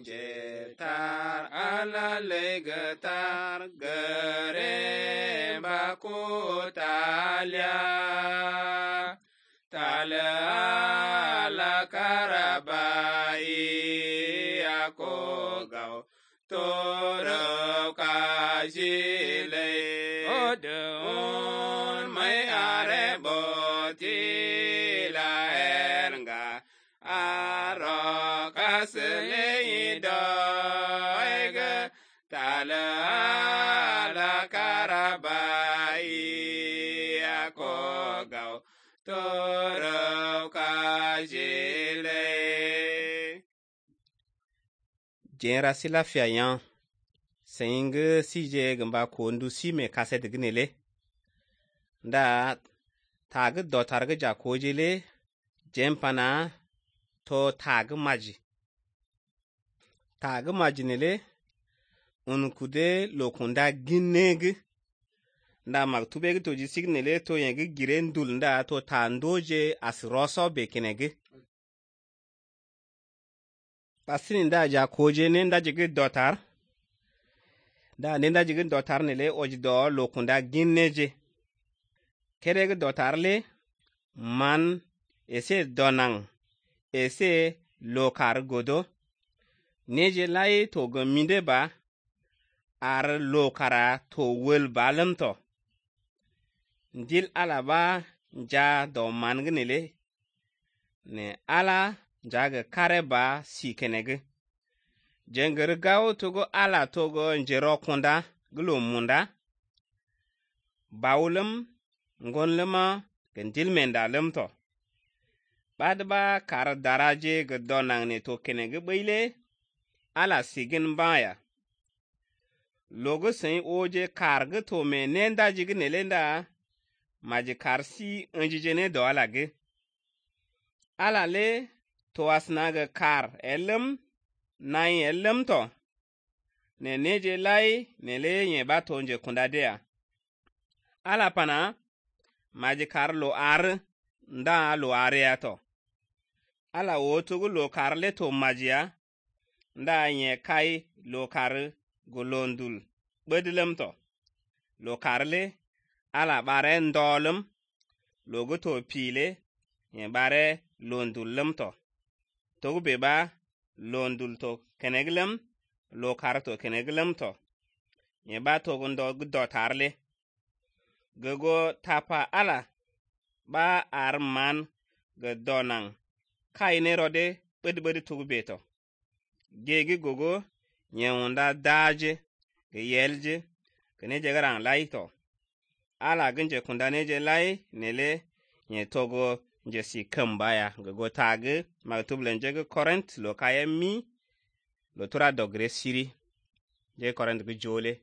jetar ala legetar gere baku talia ala karabai aku gau toro kajile odun mai are boti la erga aro kasle doig ala karabai aku gau toro kajile. Jera sila fiayan sing sije gamba kondu si me kaset gnele da tag dotar ga jakojele jempana to tag maji nele unkude lokunda ginneg nda maktube to ji signele to yeng girendul nda to tandoje asroso bekenege pasini nda jakoje ne nda jige dotar da nenda jigin dotar nele ojdo lokunda ginneje kerege dotar le man ese donang ese lokar godo neje lai to gominde ba ar lokara to wel balamto ndil alaba ja do mangnele ne ala jaga kareba sikenege jenger gawo togo ala togo njero kunda gulo munda bawlum ngonlema gendil menda lemto badba kar daraje gedonang ne to kenege beile ala sigin baya logo sen oje karge to me nenda jigine lenda maji karsi njijene do alage ala le to asnaga kar elem nai elem to ne neje lai ne le nye bato nje kundadea ala pana maji kar lo ar nda lo area to ala wotugu lo kar le to majia nda nye kai lo kar golondul bedlem to lo kar le ala bare ndolum logo to pile nye bare londul lem to togu beba londul to keneglem lo karto keneglem to nye ba to gondo dotarle gogo tapa ala ba arman godonang kaine rode bedi togu beto gegi gogo nye onda daje ge yelje kene jegarang lai to ala genje kundane je lai nele nye togo nje si kambaya gogo tag magtublen je current lo kayemi lo tura dogre siri je current go jole